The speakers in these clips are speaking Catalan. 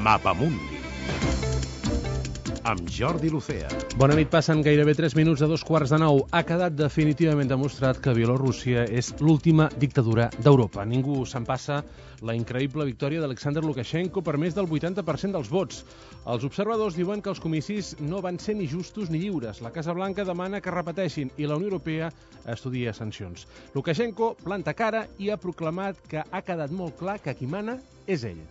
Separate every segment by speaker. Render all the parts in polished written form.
Speaker 1: Mapamundi amb Jordi Lucea.
Speaker 2: Bona nit, passen gairebé 3 minuts de 2:15. Ha quedat definitivament demostrat que Bielorússia és l'última dictadura d'Europa. Ningú se'n passa la increïble victòria d'Alexander Lukashenko per més del 80% dels vots. Els observadors diuen que els comicis no van ser ni justos ni lliures. La Casa Blanca demana que repeteixin i la Unió Europea estudia sancions. Lukashenko planta cara i ha proclamat que ha quedat molt clar que qui mana és ell.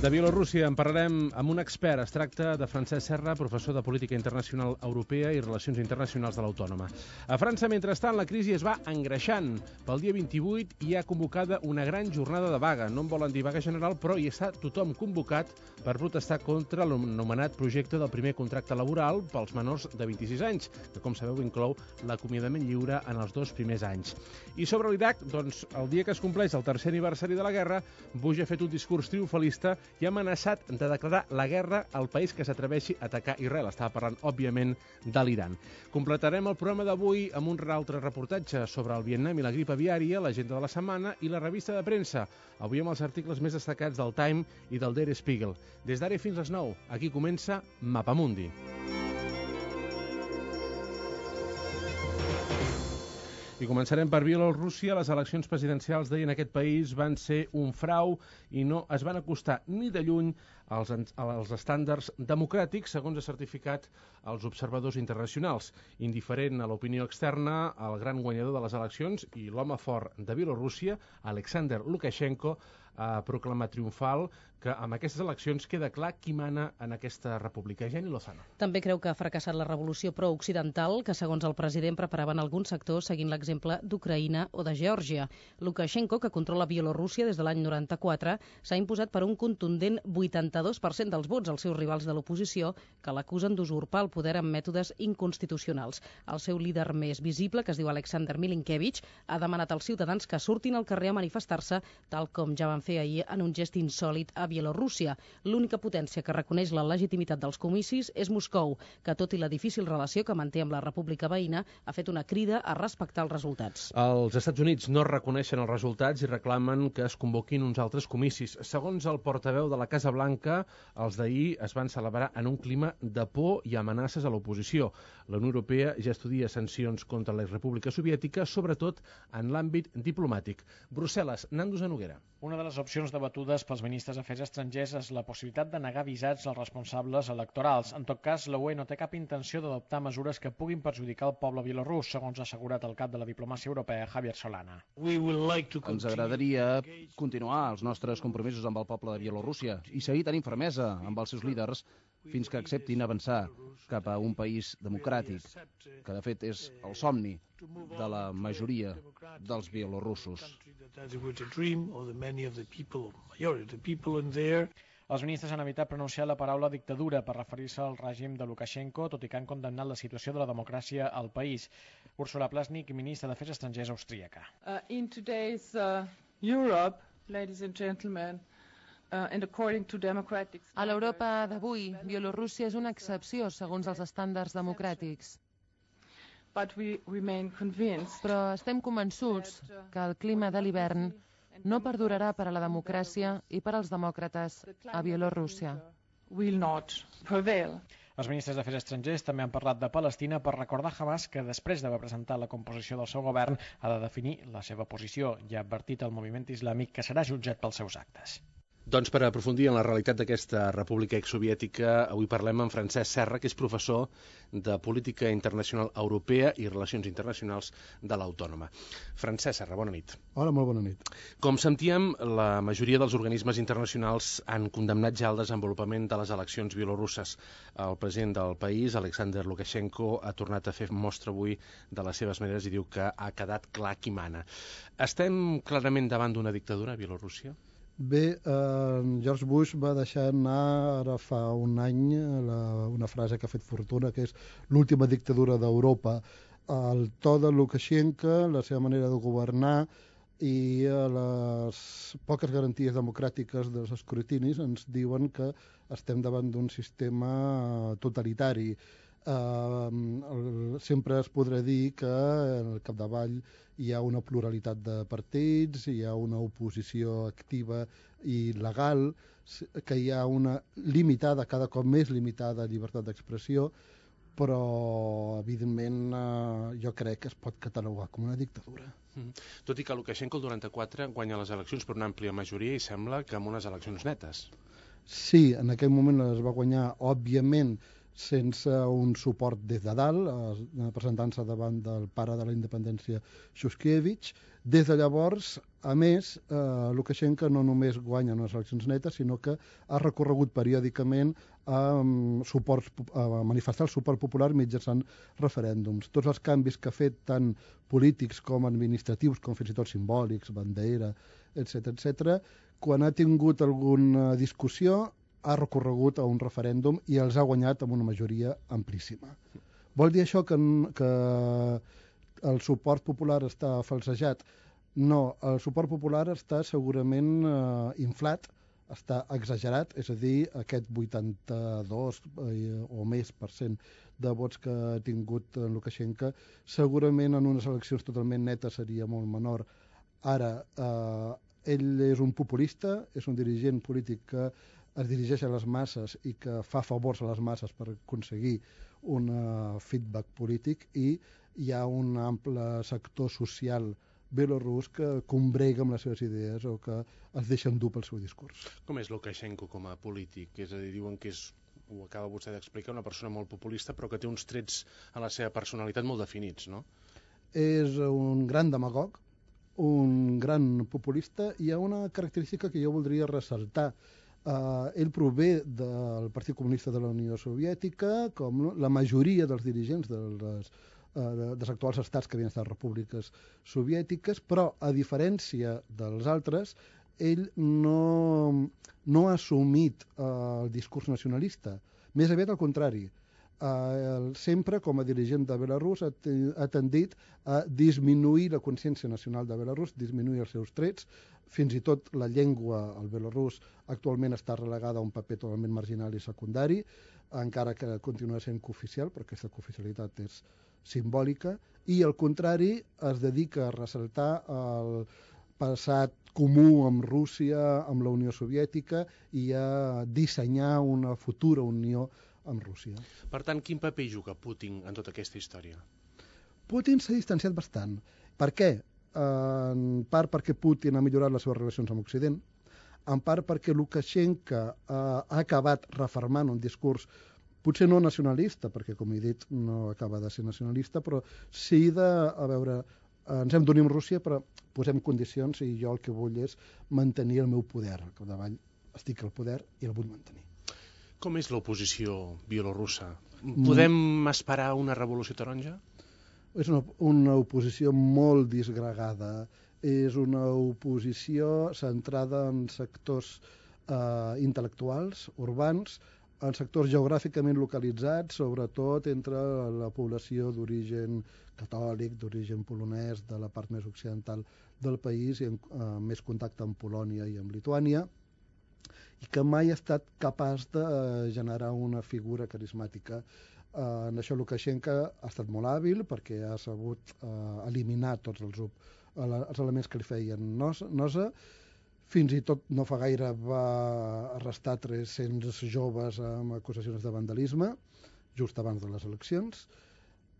Speaker 2: De Bielorússia en parlarem amb un expert. Es tracta de Francesc Serra, professor de Política Internacional Europea i Relacions Internacionals de l'Autònoma. A França, mentrestant, la crisi es va engreixant. Pel dia 28 hi ha convocada una gran jornada de vaga. No en volen dir vaga general, però hi està tothom convocat per protestar contra l'anomenat projecte del primer contracte laboral pels menors de 26 anys, que, com sabeu, inclou l'acomiadament lliure en els 2 primers anys. I sobre l'Iraq, doncs, el dia que es compleix el tercer aniversari de la guerra, Bush ha fet un discurs triomfalista i ha amenaçat de declarar la guerra al país que s'atreveixi a atacar Israel. Estava parlant, òbviament, de l'Iran. Completarem el programa d'avui amb un altre reportatge sobre el Vietnam i la grip aviària, l'agenda de la setmana i la revista de premsa. Avui amb els articles més destacats del Time i del Der Spiegel. Des d'ara fins les 9, aquí comença Mapamundi. I començarem per Bielorússia. Les eleccions presidencials d'ahir en aquest país van ser un frau i no es van acostar ni de lluny als estàndards democràtics, segons ha certificat els observadors internacionals. Indiferent a l'opinió externa, el gran guanyador de les eleccions i l'home fort de Bielorússia, Alexander Lukashenko, ha proclamat triomfal que amb aquestes eleccions queda clar qui mana en aquesta república. Jenny Lozano.
Speaker 3: També creu que ha fracassat la revolució pro-occidental que, segons el president, preparaven alguns sectors seguint l'exemple d'Ucraïna o de Geòrgia. Lukashenko, que controla Bielorússia des de l'any 94, s'ha imposat per un contundent 82% dels vots als seus rivals de l'oposició, que l'acusen d'usurpar el poder amb mètodes inconstitucionals. El seu líder més visible, que es diu Alexander Milinkevich, ha demanat als ciutadans que surtin al carrer a manifestar-se, tal com ja van fer ahir en un gest insòlit a Bielorússia. L'única potència que reconeix la legitimitat dels comicis és Moscou, que tot i la difícil relació que manté amb la república veïna, ha fet una crida a respectar els resultats.
Speaker 2: Els Estats Units no reconeixen els resultats i reclamen que es convoquin uns altres comicis. Segons el portaveu de la Casa Blanca, els d'ahir es van celebrar en un clima de por i amenaces a l'oposició. La Unió Europea ja estudia sancions contra la República Soviètica, sobretot en l'àmbit diplomàtic. Brussel·les, Nando Zanoguera.
Speaker 4: Una de les opcions debatudes pels ministres d'Afers Estrangers és la possibilitat de negar visats als responsables electorals. En tot cas, la UE no té cap intenció d'adoptar mesures que puguin perjudicar el poble bielorús, segons ha assegurat el cap de la diplomàcia europea, Javier Solana.
Speaker 5: Ens agradaria continuar els nostres compromisos amb el poble de Bielorússia i seguir tenint fermesa amb els seus líders fins que acceptin avançar cap a un país democràtic, que de fet és el somni de la majoria dels bielorussos.
Speaker 4: Els ministres han evitat pronunciar la paraula dictadura per referir-se al règim de Lukashenko, tot i que han condemnat la situació de la democràcia al país. Úrsula Plasnik, ministra d'Afers Estrangers austríaca.
Speaker 6: In today's Europe, ladies and gentlemen,
Speaker 7: a l'Europa d'avui, Bielorússia és una excepció segons els estàndards democràtics. Però estem convençuts que el clima de l'hivern no perdurarà per a la democràcia i per als demòcrates a Bielorússia.
Speaker 4: Els ministres d'Afers Estrangers també han parlat de Palestina per recordar Hamas que després d'haver presentat la composició del seu govern ha de definir la seva posició i ha advertit al moviment islàmic que serà jutjat pels seus actes.
Speaker 2: Doncs per aprofundir en la realitat d'aquesta república exsoviètica, avui parlem amb Francesc Serra, que és professor de Política Internacional Europea i Relacions Internacionals de l'Autònoma. Francesc Serra, bona nit.
Speaker 8: Hola, molt bona nit.
Speaker 2: Com sentíem, la majoria dels organismes internacionals han condemnat ja el desenvolupament de les eleccions bielorusses. El president del país, Alexander Lukashenko, ha tornat a fer mostra avui de les seves maneres i diu que ha quedat clar qui mana. Estem clarament davant d'una dictadura a Bielorússia?
Speaker 8: Bé, George Bush va deixar anar ara fa un any una frase que ha fet fortuna, que és l'última dictadura d'Europa. El to de Lukashenko, la seva manera de governar i les poques garanties democràtiques dels escrutinis ens diuen que estem davant d'un sistema totalitari. sempre es podrà dir que al capdavall hi ha una pluralitat de partits, hi ha una oposició activa i legal, que hi ha una limitada, cada cop més limitada llibertat d'expressió, però evidentment jo crec que es pot catalogar com una dictadura.
Speaker 2: Tot i que Lukashenko el 94 guanya les eleccions per una àmplia majoria i sembla que amb unes eleccions netes.
Speaker 8: Sí, en aquell moment les va guanyar, òbviament, sense un suport des de dalt, presentant-se davant del pare de la independència, Shushkevich. Des de llavors, a més, Lukashenko no només guanya unes eleccions netes, sinó que ha recorregut periòdicament a manifestar el suport popular mitjançant referèndums. Tots els canvis que ha fet, tant polítics com administratius, com fins i tot simbòlics, bandera, etc., quan ha tingut alguna discussió, ha recorregut a un referèndum i els ha guanyat amb una majoria amplíssima. Vol dir això que el suport popular està falsejat? No, el suport popular està segurament inflat, està exagerat, és a dir, aquest 82 o més % de vots que ha tingut Lukashenko, segurament en unes eleccions totalment netes seria molt menor. Ara, ell és un populista, és un dirigent polític que es dirigeix a les masses i que fa favors a les masses per aconseguir un feedback polític, i hi ha un ample sector social belorús que combrega amb les seves idees o que es deixa endur pel seu discurs.
Speaker 2: Com és Lukashenko com a polític? És a dir, diuen que és, ho acaba vostè d'explicar, una persona molt populista però que té uns trets a la seva personalitat molt definits, no?
Speaker 8: És un gran demagog, un gran populista, i hi ha una característica que jo voldria ressaltar. Ell prové del Partit Comunista de la Unió Soviètica, com la majoria dels dirigents dels actuals estats que havien estat repúbliques soviètiques, però, a diferència dels altres, ell no ha assumit el discurs nacionalista. Més aviat al contrari. Sempre, com a dirigent de Belarús, ha tendit a disminuir la consciència nacional de Belarús, disminuir els seus trets. Fins i tot la llengua al belarús actualment està relegada a un paper totalment marginal i secundari, encara que continua sent cooficial, però aquesta cooficialitat és simbòlica, i al contrari es dedica a ressaltar el passat comú amb Rússia, amb la Unió Soviètica, i a dissenyar una futura unió amb Rússia.
Speaker 2: Per tant, quin paper juga Putin en tota aquesta història?
Speaker 8: Putin s'ha distanciat bastant. Per què? En part perquè Putin ha millorat les seves relacions amb Occident, en part perquè Lukashenko ha acabat refermant un discurs potser no nacionalista, perquè, com he dit, no acaba de ser nacionalista, però sí de, a veure, ens hem d'unir amb Rússia, però posem condicions i jo el que vull és mantenir el meu poder. Al capdavall estic al poder i el vull mantenir.
Speaker 2: Com és l'oposició bielorussa? Podem esperar una revolució taronja?
Speaker 8: És una oposició molt disgregada. És una oposició centrada en sectors intel·lectuals, urbans, en sectors geogràficament localitzats, sobretot entre la població d'origen catòlic, d'origen polonès, de la part més occidental del país, i amb més contacte amb Polònia i amb Lituània, i que mai ha estat capaç de generar una figura carismàtica. En això Lukashenko ha estat molt hàbil perquè ha sabut eliminar tots els elements que li feien nosa. Fins i tot no fa gaire va arrestar 300 joves amb acusacions de vandalisme, just abans de les eleccions,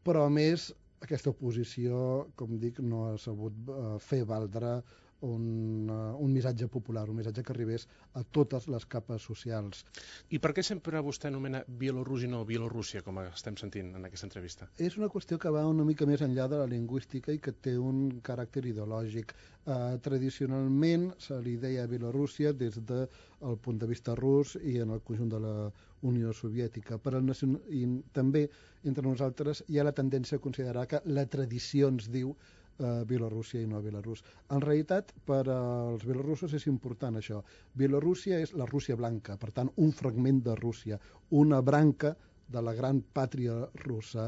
Speaker 8: però a més aquesta oposició, com dic, no ha sabut fer valdre un missatge popular, un missatge que arribés a totes les capes socials.
Speaker 2: I per què sempre vostè anomena Bielorússia i no Bielorússia, com estem sentint en aquesta entrevista?
Speaker 8: És una qüestió que va una mica més enllà de la lingüística i que té un caràcter ideològic. Tradicionalment se li deia Bielorússia des del punt de vista rus i en el conjunt de la Unió Soviètica. I també entre nosaltres hi ha la tendència a considerar que la tradició ens diu Bielorússia i no Belarús. En realitat, per als bielorussos és important això. Bielorússia és la Rússia blanca, per tant, un fragment de Rússia, una branca de la gran pàtria russa.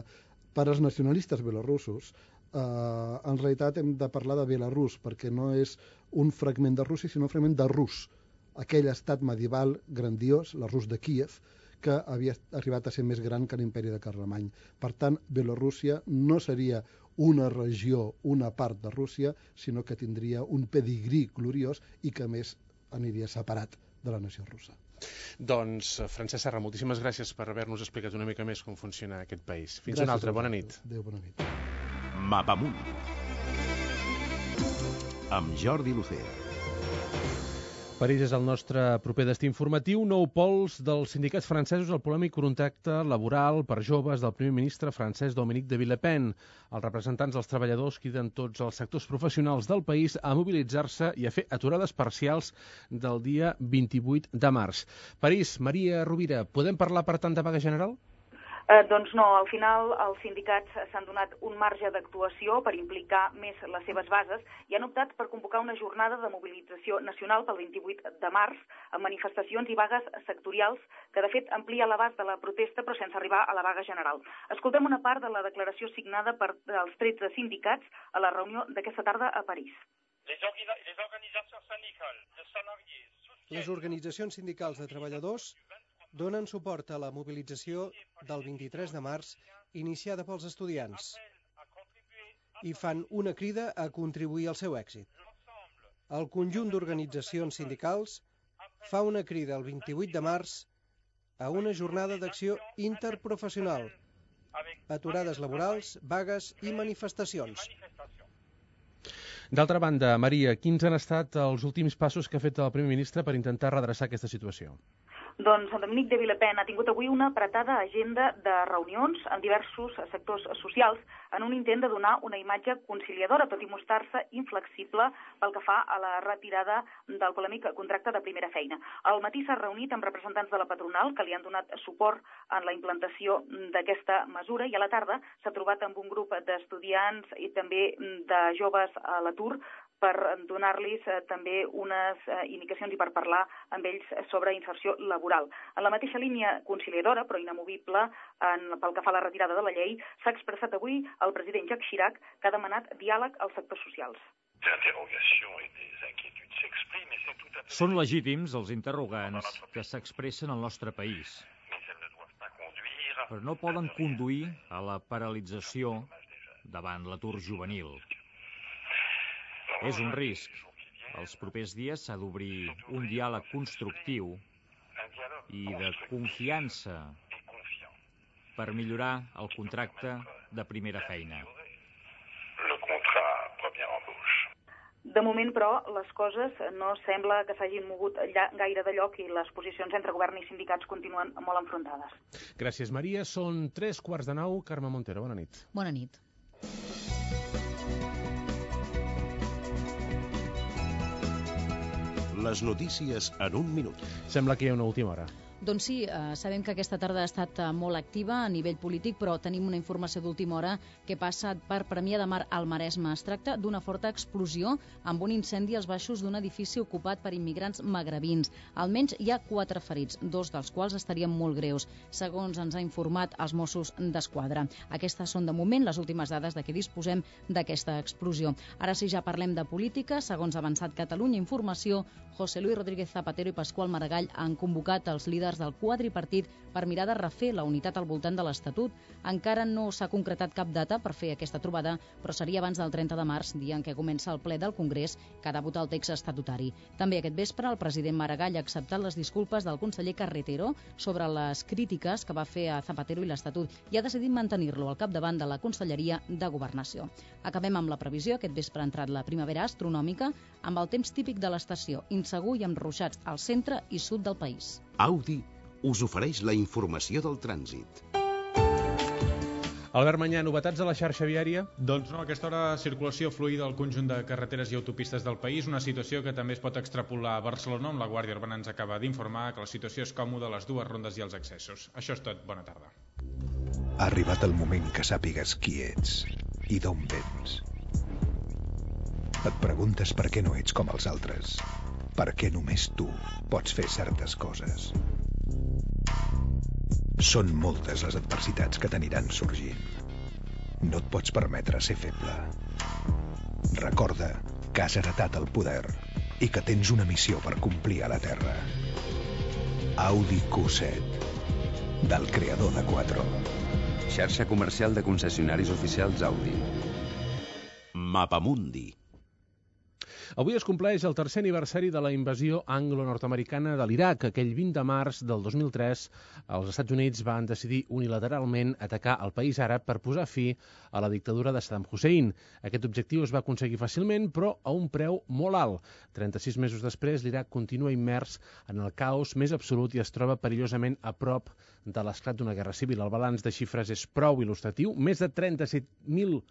Speaker 8: Per als nacionalistes bielorussos, en realitat hem de parlar de Belarús, perquè no és un fragment de Rússia, sinó un fragment de Rus, aquell estat medieval grandiós, la Rus de Kíev, que havia arribat a ser més gran que l'imperi de Carlemany. Per tant, Bielorússia no seria una regió, una part de Rússia, sinó que tindria un pedigrí gloriós i que, a més, aniria separat de la nació russa.
Speaker 2: Doncs, Francesc Serra, moltíssimes gràcies per haver-nos explicat una mica més com funciona aquest país. Fins una altra, bona nit.
Speaker 8: Adéu, bona nit.
Speaker 1: Mapamunt amb Jordi Lucea.
Speaker 2: París és el nostre proper destí informatiu. Nou pols dels sindicats francesos al polèmic contracte laboral per joves del primer ministre francès Dominique de Villepin. Els representants dels treballadors criden tots els sectors professionals del país a mobilitzar-se i a fer aturades parcials del dia 28 de març. París, Maria Rovira, podem parlar per tant de vaga general?
Speaker 9: Doncs no, al final els sindicats s'han donat un marge d'actuació per implicar més les seves bases i han optat per convocar una jornada de mobilització nacional pel 28 de març amb manifestacions i vagues sectorials que de fet amplia l'abast de la protesta però sense arribar a la vaga general. Escoltem una part de la declaració signada per els 13 sindicats a la reunió d'aquesta tarda a París.
Speaker 10: Les organitzacions sindicals de treballadors donen suport a la mobilització del 23 de març iniciada pels estudiants i fan una crida a contribuir al seu èxit. El conjunt d'organitzacions sindicals fa una crida el 28 de març a una jornada d'acció interprofessional, aturades laborals, vagues i manifestacions.
Speaker 2: D'altra banda, Maria, quins han estat els últims passos que ha fet el primer ministre per intentar redreçar aquesta situació?
Speaker 9: Doncs Dominique de Villepin ha tingut avui una apretada agenda de reunions amb diversos sectors socials en un intent de donar una imatge conciliadora, tot i mostrar-se inflexible pel que fa a la retirada del polèmic contracte de primera feina. Al matí s'ha reunit amb representants de la patronal que li han donat suport en la implantació d'aquesta mesura i a la tarda s'ha trobat amb un grup d'estudiants i també de joves a l'atur per donar-los també unes indicacions i per parlar amb ells sobre inserció laboral. En la mateixa línia conciliadora, però inamovible pel que fa a la retirada de la llei, s'ha expressat avui el president Jacques Chirac, que ha demanat diàleg als sectors socials.
Speaker 11: Són legítims els interrogants que s'expressen al nostre país, però no poden conduir a la paralització davant l'atur juvenil. És un risc. Els propers dies s'ha d'obrir un diàleg constructiu i de confiança per millorar el contracte de primera feina.
Speaker 9: De moment, però, les coses no sembla que s'hagin mogut gaire de lloc i les posicions entre govern i sindicats continuen molt enfrontades.
Speaker 2: Gràcies, Maria. Són 3:15. Carme Montero, bona nit.
Speaker 3: Bona nit.
Speaker 1: Les notícies en un minut.
Speaker 2: Sembla que hi ha una última hora.
Speaker 3: Doncs sí, sabem que aquesta tarda ha estat molt activa a nivell polític, però tenim una informació d'última hora que passa per Premià de Mar al Maresme. Es tracta d'una forta explosió amb un incendi als baixos d'un edifici ocupat per immigrants magrebins. Almenys hi ha 4 ferits, 2 dels quals estarien molt greus, segons ens ha informat els Mossos d'Esquadra. Aquestes són de moment les últimes dades de què disposem d'aquesta explosió. Ara sí, ja parlem de política. Segons ha avançat Catalunya Informació, José Luis Rodríguez Zapatero i Pasqual Maragall han convocat els líders del quadripartit per mirar de refer la unitat al voltant de l'Estatut. Encara no s'ha concretat cap data per fer aquesta trobada, però seria abans del 30 de març, dia en què comença el ple del Congrés, que ha de votar el text estatutari. També aquest vespre el president Maragall ha acceptat les disculpes del conseller Carretero sobre les crítiques que va fer a Zapatero i l'Estatut i ha decidit mantenir-lo al capdavant de la Conselleria de Governació. Acabem amb la previsió. Aquest vespre ha entrat la primavera astronòmica amb el temps típic de l'estació, insegur i amb ruixats al centre i sud del país.
Speaker 1: Audi us ofereix la informació del trànsit.
Speaker 2: Albert Mañà, novetats a la xarxa viària?
Speaker 12: Doncs no, a aquesta hora circulació fluida al conjunt de carreteres i autopistes del país, una situació que també es pot extrapolar a Barcelona, on la Guàrdia Urbana ens acaba d'informar que la situació és còmoda a les 2 rondes i els accessos. Això és tot, bona tarda.
Speaker 13: Ha arribat el moment que sàpigues qui ets i d'on vens. Et preguntes per què no ets com els altres, per què només tu pots fer certes coses. Són moltes les adversitats que t'aniran sorgint. No et pots permetre ser feble. Recorda que has heretat el poder i que tens una missió per complir a la Terra. Audi Q7. del creador de Quattro.
Speaker 14: Xarxa comercial de concessionaris oficials Audi.
Speaker 1: Mapamundi.
Speaker 2: Avui es compleix el tercer aniversari de la invasió anglo-nord-americana de l'Iraq. Aquell 20 de març del 2003, els Estats Units van decidir unilateralment atacar el país àrab per posar fi a la dictadura de Saddam Hussein. Aquest objectiu es va aconseguir fàcilment, però a un preu molt alt. 36 mesos després, l'Iraq continua immers en el caos més absolut i es troba perillosament a prop de l'esclat d'una guerra civil. El balanç de xifres és prou il·lustratiu. Més de 37.000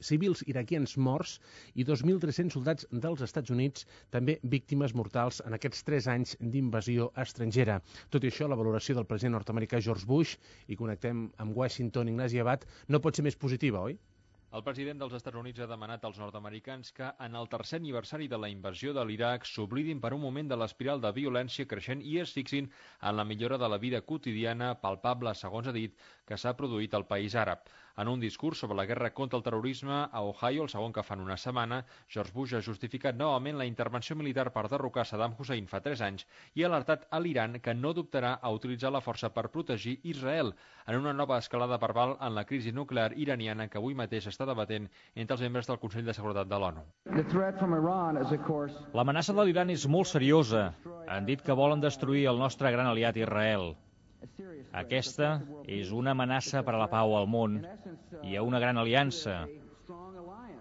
Speaker 2: civils iraquians morts i 2.300 soldats dels Estats Units també víctimes mortals en aquests 3 anys d'invasió estrangera. Tot i això, la valoració del president nord-americà George Bush, i connectem amb Washington, Ignasi Abad, no pot ser més positiva, oi?
Speaker 11: El president dels Estats Units ha demanat als nord-americans que, en el tercer aniversari de la invasió de l'Iraq, s'oblidin per un moment de l'espiral de violència creixent i es fixin en la millora de la vida quotidiana palpable, segons ha dit, que s'ha produït al país àrab. En un discurs sobre la guerra contra el terrorisme a Ohio, el segon que fan una setmana, George Bush ha justificat novament la intervenció militar per derrocar Saddam Hussein fa 3 anys i ha alertat a l'Iran que no dubtarà a utilitzar la força per protegir Israel en una nova escalada verbal en la crisi nuclear iraniana que avui mateix està debatent entre els membres del Consell de Seguretat de l'ONU.
Speaker 15: L'amenaça de l'Iran és molt seriosa. Han dit que volen destruir el nostre gran aliat Israel. Aquesta és una amenaça per a la pau al món i a una gran aliança.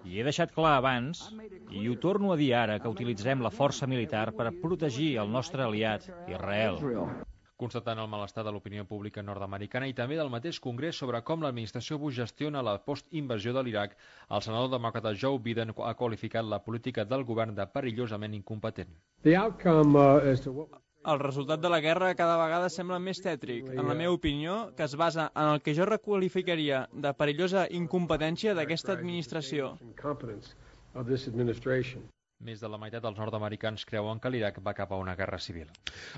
Speaker 15: I he deixat clar abans, i ho torno a dir ara, que utilitzarem la força militar per protegir el nostre aliat Israel.
Speaker 11: Constatant el malestar de l'opinió pública nord-americana i també del mateix Congrés sobre com l'administració Bush gestiona la post-invasió de l'Iraq, el senador demòcrata Joe Biden ha qualificat la política del govern de perillosament incompetent.
Speaker 16: El resultat de la guerra cada vegada sembla més tètric, en la meva opinió, que es basa en el que jo requalificaria de perillosa incompetència d'aquesta administració.
Speaker 11: Més de la meitat dels nord-americans creuen que l'Iraq va cap a una guerra civil.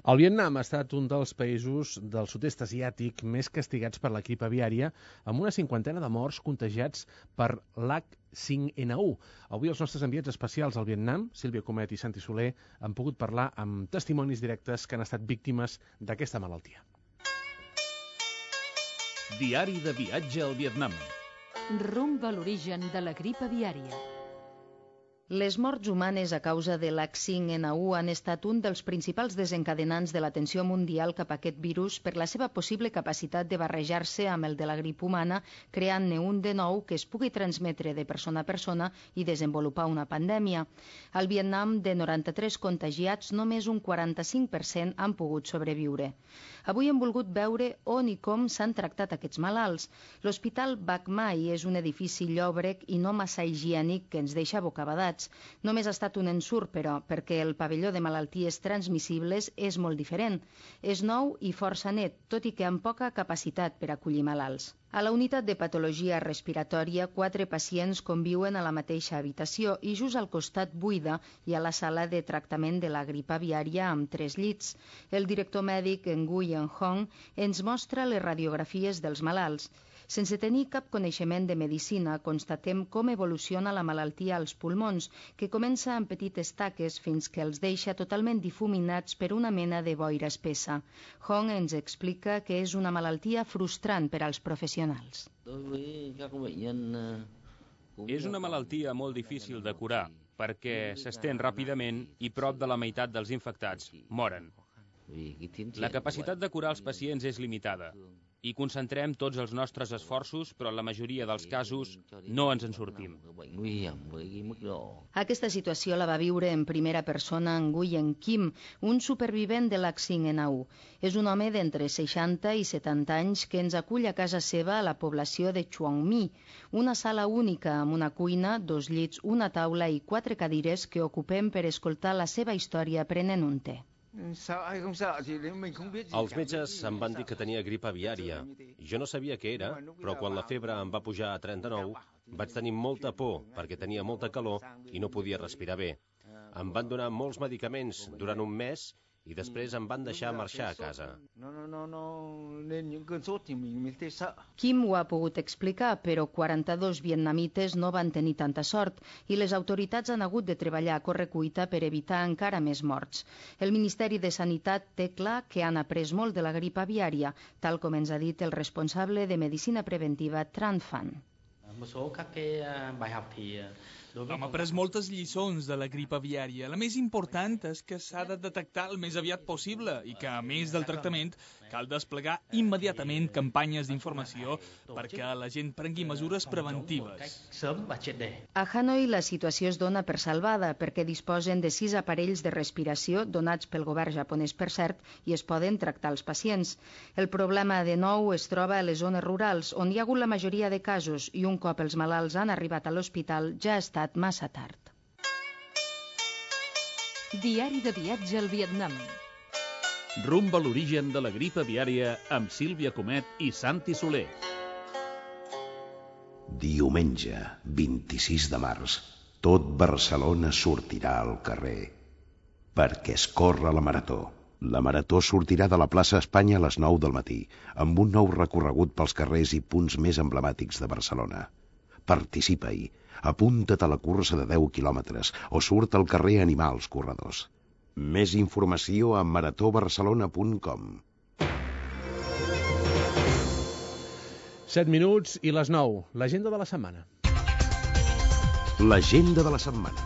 Speaker 2: El Vietnam ha estat un dels països del sud-est asiàtic més castigats per la grip aviària, amb una 50ena de morts contagiats per l'H5N1. Avui els nostres enviats especials al Vietnam, Sílvia Comet i Santi Soler, han pogut parlar amb testimonis directes que han estat víctimes d'aquesta malaltia.
Speaker 17: Diari de viatge al Vietnam.
Speaker 18: Rumb a l'origen de la grip aviària.
Speaker 3: Les morts humanes a causa de l'H5N1 han estat un dels principals desencadenants de l'atenció mundial cap a aquest virus per la seva possible capacitat de barrejar-se amb el de la grip humana, creant-ne un de nou que es pugui transmetre de persona a persona i desenvolupar una pandèmia. Al Vietnam, de 93 contagiats, només un 45% han pogut sobreviure. Avui hem volgut veure on i com s'han tractat aquests malalts. L'Hospital Bach Mai és un edifici llòbrec i no massa higiènic que ens deixa bocabadats. Només ha estat un ensurt, però, perquè el pavelló de malalties transmissibles és molt diferent. És nou i força net, tot i que amb poca capacitat per acollir malalts. A la unitat de patologia respiratòria, 4 pacients conviuen a la mateixa habitació i just al costat buida hi ha la sala de tractament de la grip aviària amb 3 llits. El director mèdic Nguyen Hong ens mostra les radiografies dels malalts. Sense tenir cap coneixement de medicina, constatem com evoluciona la malaltia als pulmons, que comença amb petites taques fins que els deixa totalment difuminats per una mena de boira espessa. Hong ens explica que és una malaltia frustrant per als professionals.
Speaker 19: És una malaltia molt difícil de curar, perquè s'estén ràpidament i prop de la meitat dels infectats moren. La capacitat de curar els pacients és limitada. I concentrem tots els nostres esforços, però en la majoria dels casos no ens en sortim.
Speaker 3: Aquesta situació la va viure en primera persona Nguyen Kim, un supervivent de l'H5N1. És un home d'entre 60 i 70 anys que ens acull a casa seva a la població de Chuang Mi, una sala única amb una cuina, 2 llits, una taula i 4 cadires que ocupem per escoltar la seva història prenent un te.
Speaker 20: Els metges em van dir que tenia grip aviària. Jo no sabia què era, però quan la febre em va pujar a 39, vaig tenir molta por perquè tenia molta calor i no podia respirar bé. Em van donar molts medicaments durant un mes i després em van deixar marxar a casa.
Speaker 21: Kim ho ha pogut explicar, però 42 vietnamites no van tenir tanta sort i les autoritats han hagut de treballar a correcuita per evitar encara més morts. El Ministeri de Sanitat té clar que han après molt de la grip aviària, tal com ens ha dit el responsable de Medicina Preventiva Tran Phan.
Speaker 22: Hem après moltes lliçons de la grip aviària. La més important és que s'ha de detectar el més aviat possible i que, a més del tractament, cal desplegar immediatament campanyes d'informació perquè la gent prengui mesures preventives.
Speaker 21: A Hanoi la situació es dona per salvada perquè disposen de 6 aparells de respiració donats pel govern japonès, per cert, i es poden tractar els pacients. El problema, de nou, es troba a les zones rurals, on hi ha hagut la majoria de casos i un cop els malalts han arribat a l'hospital ja ha estat massa tard.
Speaker 18: Diari de viatge al Vietnam.
Speaker 17: Rumb a l'origen de la grip aviària amb Sílvia Comet i Santi Soler.
Speaker 1: Diumenge, 26 de març, tot Barcelona sortirà al carrer perquè es corre la marató. La marató sortirà de la plaça Espanya a les 9 del matí, amb un nou recorregut pels carrers i punts més emblemàtics de Barcelona. Participa-hi, apunta't a la cursa de 10 quilòmetres o surt al carrer a animar els corredors. Més informació a maratobarcelona.com.
Speaker 2: 7 minuts i les 9. L'agenda de la setmana.
Speaker 1: L'agenda de la setmana.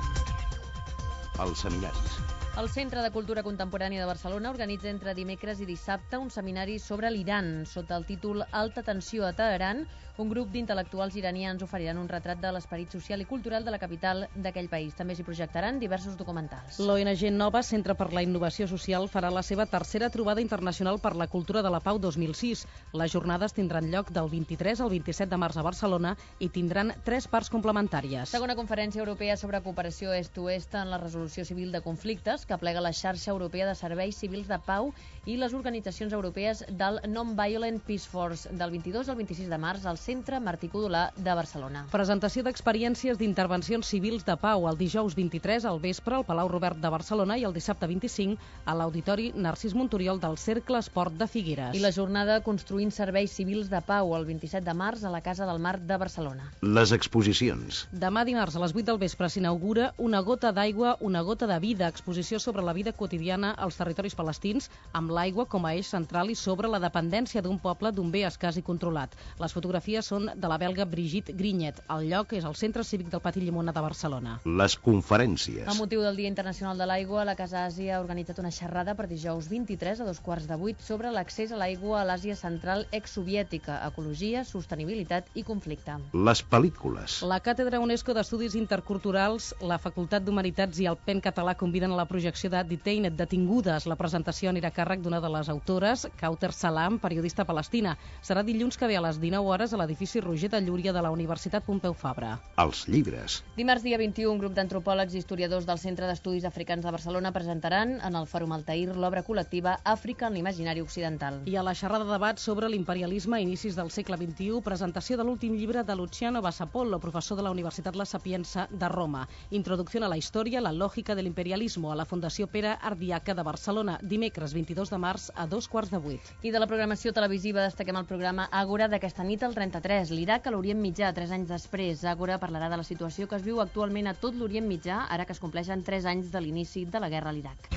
Speaker 1: Els seminaris.
Speaker 3: El Centre de Cultura Contemporània de Barcelona organitza entre dimecres i dissabte un seminari sobre l'Iran. Sota el títol Alta tensió a Teheran, un grup d'intel·lectuals iranians oferiran un retrat de l'esperit social i cultural de la capital d'aquell país. També s'hi projectaran diversos documentals. L'ONG Nova, Centre per la Innovació Social, farà la seva tercera trobada internacional per la cultura de la pau 2006. Les jornades tindran lloc del 23 al 27 de març a Barcelona i tindran 3 parts complementàries. Segona conferència europea sobre cooperació est-oest en la resolució civil de conflictes, que aplega la xarxa europea de serveis civils de pau i les organitzacions europees del Non-Violent Peace Force, del 22 al 26 de març al Centre Martí Codolà de Barcelona. Presentació d'experiències d'intervencions civils de pau el dijous 23 al vespre al Palau Robert de Barcelona i el dissabte 25 a l'Auditori Narcís Monturiol del Cercle Esport de Figueres. I la jornada Construint serveis civils de pau el 27 de març a la Casa del Mar de Barcelona.
Speaker 1: Les exposicions.
Speaker 3: Demà dimarts a les 8 del vespre s'inaugura Una gota d'aigua, una gota de vida, exposició sobre la vida quotidiana als territoris palestins, amb l'aigua com a eix central i sobre la dependència d'un poble d'un bé escàs i controlat. Les fotografies són de la belga Brigitte Grignet. El lloc és el Centre Cívic del Pati Llimona de Barcelona.
Speaker 1: Les conferències.
Speaker 3: Amb motiu del Dia Internacional de l'Aigua, la Casa Àsia ha organitzat una xerrada per dijous 23 a 7:15 sobre l'accés a l'aigua a l'Àsia Central exsoviètica, ecologia, sostenibilitat i conflicte.
Speaker 1: Les pel·lícules.
Speaker 3: La Càtedra UNESCO d'Estudis Interculturals, la Facultat d'Humanitats i el PEN Català conviden a la projecció de Detained, detingudes. La presentació anirà a càrrec d'una de les autores, Kauter Salam, periodista palestina. Serà dilluns que ve a les 19 hores a l'edifici Roger de Llúria de la Universitat Pompeu Fabra.
Speaker 1: Els llibres.
Speaker 3: Dimarts dia 21, un grup d'antropòlegs i historiadors del Centre d'Estudis Africans de Barcelona presentaran en el Fòrum Altair l'obra col·lectiva Àfrica en l'imaginari occidental. I a la xerrada de debat sobre l'imperialisme a inicis del segle XXI, presentació de l'últim llibre de Luciano Bassapollo, professor de la Universitat La Sapienza de Roma. Introducció a la història, la lògica de l'imperialismo, a la Fundació Pere Ardiaca de Barcelona, dimecres 22 de març a 7:15. I de la programació televisiva destaquem el programa Àgora d'aquesta nit al 33. L'Iraq a l'Orient Mitjà, 3 anys després. Àgora parlarà de la situació que es viu actualment a tot l'Orient Mitjà, ara que es compleixen 3 anys de l'inici de la guerra a l'Iraq.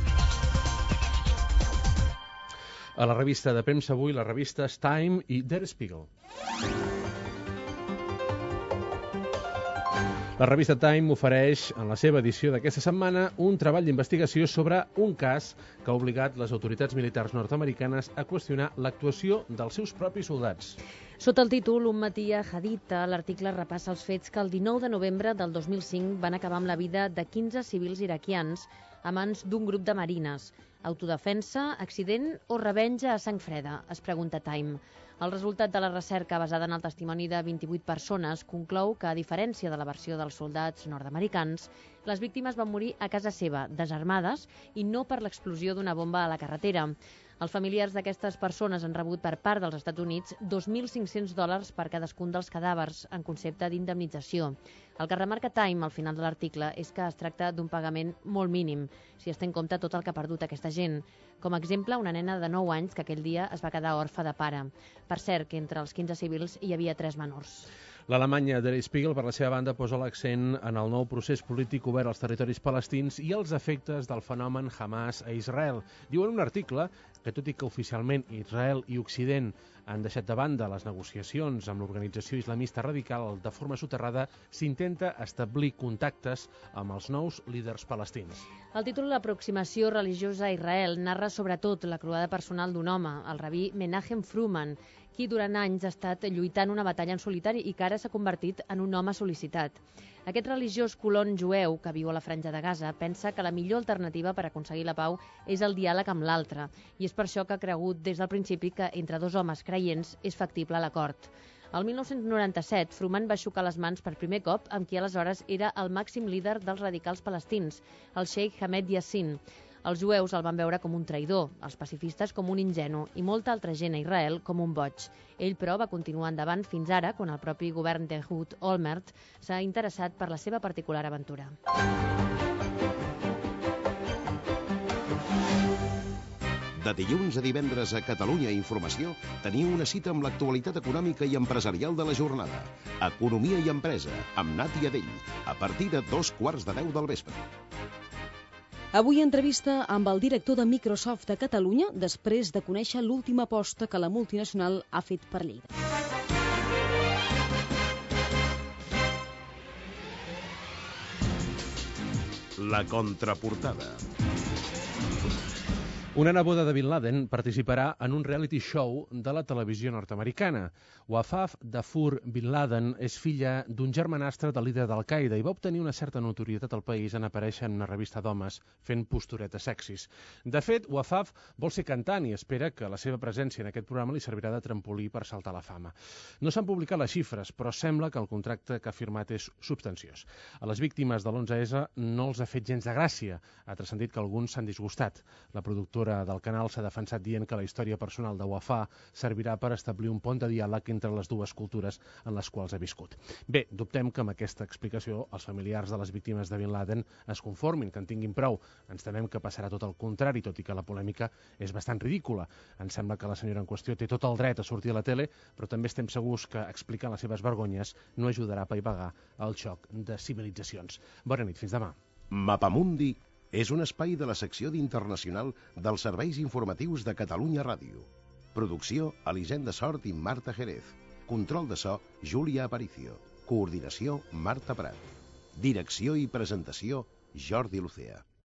Speaker 2: A la revista de premsa avui, les revistes Time i Der Spiegel. La revista Time ofereix, en la seva edició d'aquesta setmana, un treball d'investigació sobre un cas que ha obligat les autoritats militars nord-americanes a qüestionar l'actuació dels seus propis soldats.
Speaker 3: Sota el títol Un matí a Haditha, l'article repassa els fets que el 19 de novembre del 2005 van acabar amb la vida de 15 civils iraquians a mans d'un grup de marines. Autodefensa, accident o revenja a sang freda, es pregunta Time. El resultat de la recerca, basada en el testimoni de 28 persones, conclou que, a diferència de la versió dels soldats nord-americans, les víctimes van morir a casa seva, desarmades, i no per l'explosió d'una bomba a la carretera. Els familiars d'aquestes persones han rebut per part dels Estats Units $2.500 per cadascun dels cadàvers en concepte d'indemnització. El que remarca Time al final de l'article és que es tracta d'un pagament molt mínim, si es té en compte tot el que ha perdut aquesta gent. Com a exemple, una nena de 9 anys que aquell dia es va quedar orfa de pare. Per cert, que entre els 15 civils hi havia 3 menors.
Speaker 2: L'Alemanya Der Spiegel, per la seva banda, posa l'accent en el nou procés polític obert als territoris palestins i els efectes del fenomen Hamas a Israel. Diu en un article que, tot i que oficialment Israel i Occident han deixat de banda les negociacions amb l'organització islamista radical, de forma soterrada s'intenta establir contactes amb els nous líders palestins.
Speaker 3: El títol L'aproximació religiosa a Israel narra sobretot la croada personal d'un home, el rabí Menachem Fruman, qui durant anys ha estat lluitant una batalla en solitari i que ara s'ha convertit en un home sol·licitat. Aquest religiós colon jueu que viu a la Franja de Gaza pensa que la millor alternativa per aconseguir la pau és el diàleg amb l'altre, i és per això que ha cregut des del principi que entre 2 homes creients és factible l'acord. El 1997, Fruman va xocar les mans per primer cop amb qui aleshores era el màxim líder dels radicals palestins, el Sheikh Hamed Yassin. Els jueus el van veure com un traïdor, els pacifistes com un ingenu i molta altra gent a Israel com un boig. Ell, però, va continuar endavant fins ara, quan el propi govern d'Ehud Olmert s'ha interessat per la seva particular aventura.
Speaker 1: De dilluns a divendres a Catalunya Informació teniu una cita amb l'actualitat econòmica i empresarial de la jornada. Economia i empresa, amb Nati Adell, a partir de 2:15 del vespre.
Speaker 5: Avui entrevista amb el director de Microsoft a Catalunya després de conèixer l'última aposta que la multinacional ha fet per Lleida.
Speaker 1: La contraportada.
Speaker 2: Una neboda de Bin Laden participarà en un reality show de la televisió nord-americana. Wafaf Dafur Bin Laden és filla d'un germanastre del líder d'Al-Qaeda i va obtenir una certa notorietat al país en aparèixer en una revista d'homes fent posturetes sexis. De fet, Wafaf vol ser cantant i espera que la seva presència en aquest programa li servirà de trampolí per saltar a la fama. No s'han publicat les xifres, però sembla que el contracte que ha firmat és substanciós. A les víctimes de l'11S no els ha fet gens de gràcia. Ha transcendit que alguns s'han disgustat. La productora del canal s'ha defensat dient que la història personal de Wafaf servirà per establir un pont de diàleg entre les dues cultures en les quals ha viscut. Bé, dubtem que amb aquesta explicació els familiars de les víctimes de Bin Laden es conformin, que en tinguin prou. Ens temem que passarà tot el contrari, tot i que la polèmica és bastant ridícula. Ens sembla que la senyora en qüestió té tot el dret a sortir a la tele, però també estem segurs que explicar les seves vergonyes no ajudarà a apaivagar el xoc de civilitzacions. Bona nit, fins demà.
Speaker 1: Mapamundi és un espai de la secció d'Internacional dels serveis informatius de Catalunya Ràdio. Producció, Elisenda Sort i Marta Jerez. Control de so, Júlia Aparicio. Coordinació, Marta Prat. Direcció i presentació, Jordi Lucea.